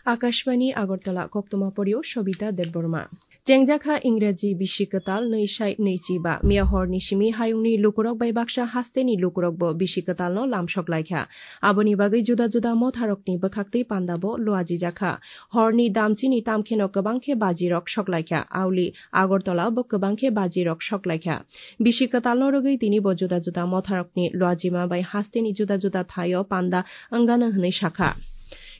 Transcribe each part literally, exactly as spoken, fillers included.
Akashbani Agartala, koktoma porio Sobita Debbarma. Chengjakha Ingraji bisi kwtal nwi sai nwi chi ba. Miya horni simi hayungni lukurok bai baksa hasteni lukurok bo bisi kwtalno lamsok laikha. Aboni bagwi juda juda motharokni bwkhaktwi panda bo luajijakha. Horni damchini tamkheno kwbang khe bajirok sok laikha. Auli Agartala bo kwbang khe bajirok sok laikha. Bisi kwtalno rwgwi tini bo juda juda motharokni luajima bai hasteni juda juda thaio panda wngano hwnwi sakha.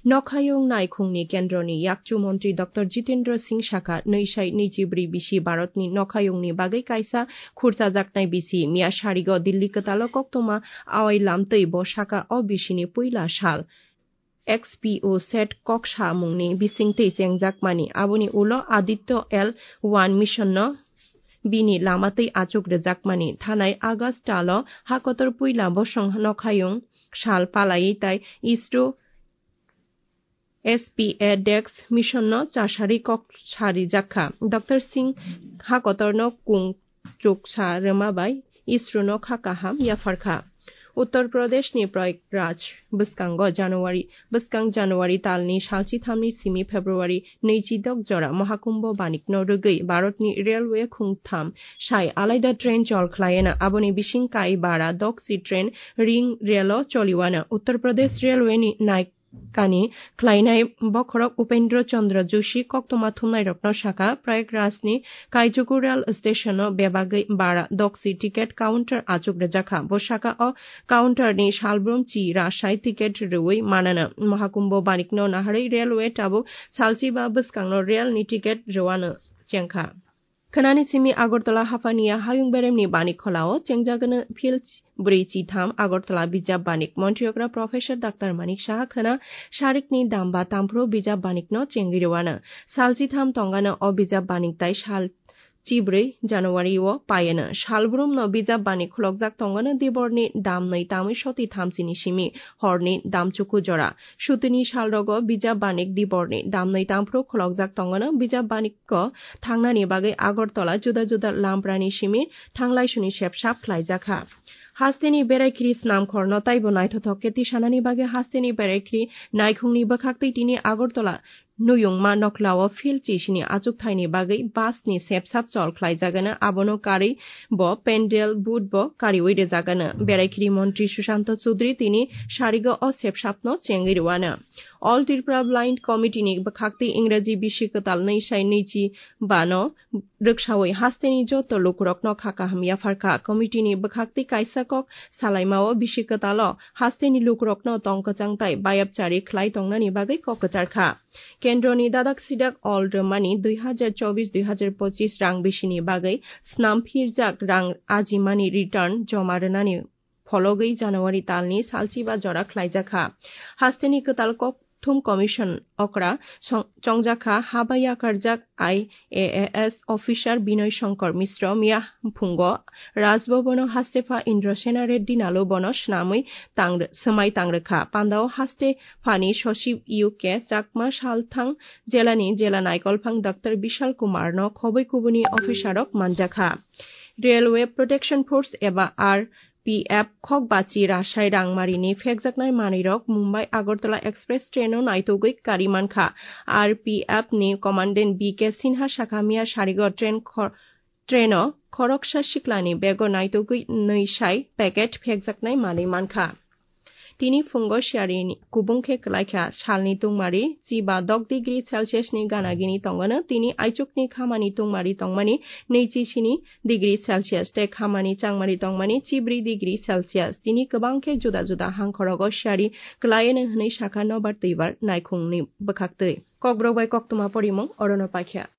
Nokhayung naikhungni kendroni yakchu montri Doctor Jitendra Singh sakha, nwi sai nwi chi bwrwi bisi Bharatni nokhayungni bagwi kaisa khurchajaknai bisi. Miya sarigo Dilli kwtalo koktoma awai lamtwi bo sakha o bisini puila sal. X P O sat kok samungni bisingtwi chengjakmani. Aboni ulo Aditya L one mission no bini lamatwi achuk rwjakmani. Thanai August talo hakotor puila bosong nokhayung sal palaiwi tai isro S P A dex mission no chasari kok sarijakha. Doctor Singh hakotorno kung chuksa rwma bai isro no kha kaham yapharkha. Uttar Pradeshni Prayagraj bwskango January, bwskang January talni salchi thamni simi February nwichi dok jora Mahakumbho banikno rwgwi Bharatni railway khungtham sai alaida train chol khwlaiana. Aboni bising kai bara dokchi train ring railo choliwana. Uttar Pradesh railway ni nai kani khlainai bokhorok Upendra Chandra Joshi koktoma thumnairokno sakha, Prayagrajni Kaijugu rail station-o bebagwi bara dokchi ticket counter achuk rwjakha. Bo sakha o counter-ni salbrum chi rasai ticket rwui manana. Mahakumbho banikno naharwi railway tabuk salchi ba bwskangno rail-ni ticket rwano chengkha. Khwnani simi Agartala haphani ya hayung beremni banik kholao chengjagwno phil bwrwi chitham Agartala bijap banik montriyokra Professor Doctor Manik Saha khwna sarikni damba tamphru bijap banikno chengwi rwano. Sal chitham tongano o bijap banik tai sal chibrwi January o payano. Salbrumno bijap banik khulokjak tongano diborni damnwi tamwi soti thamchini simi horni damchuku jora. Sutini salrogo bijap banik diborni damnwi tamphru khulokjak tongano bijap banik ko thangnani bagwi Agartala juda juda lamprani simi thanglaisuni sepsap khlaijakha. Hasteni beraikhiri snamkhorno taibo naithothok khe tisanani bagwi hasteni beraikhiri naikhungni bwkhaktwi tini Agartala Nuyungma Nokhlao phil chisini achukthaini bagwi busni sepsap chol khlaijagano, abono karwi bo pendel, booth bo kariwi rwjagano. Beraikhiri montri Sushanta Choudhury tini sarigo o sepsapno chengwi rwano. All Tripura Blind Committee ni bwkhaktwi Ingraji bisi kwtal nwi sai nwi chi bano rwksawi hasteni joto lukurokno kha kaham yapharkha. Committee ni bwkhaktwi kaisa kok salaimao bisi kwtalo hasteni lukurokno tong kwchang tai bayapchari khlai tongnani bagwi kok kwcharkha. Kendroni dadak sidak all rwmani dui hazar chobis dui hazar pochis rang bisini bagwi snam phirjak rang ajimani return joma rwnani phologwi January talni salchiba jora khlaijakha. Hasteni kwtal kokthum commission okra song-, chongjakha haba yakarjak I A A S officer Binoy Shankar Mishra miya phungo Raj Bhavan-o hastepha Indrasena Reddy Nalu bono swnamwi tang-, swmai tangrwkha. Pandao hastephani sosib U K Chakma salthang jelani jela naikolphang Doctor Bishal Kumar no khobwi kubuni officer rok manjakha. Railway Protection Force eba R P F khokbachi rasai rangmarini phekjaknai manwirok Mumbai Agartala Express train-o naitugwi kari mankha. R P F ni Commandant B K Sinha sakha miya sarigo train khor-, train-o khoroksa siklani bego naitugwi nwi sai packet phekjaknai manwi mankha. Tini phungo siarini kubung khe kwlaikha salni tungmari chiba dok degree Celsius ni gana gini tongano, tini aichukni khamani tungmari tongmani nwichi sini degree Celsius tei khamani changmari tongmani chibri degree Celsius. Tini kwbang khe juda juda hangkhorogo siari kwlaiyano hwnwi sakha nobar twibar naikhungni bwkhaktwi. Kokborok bai koktwma porimung orono paikha.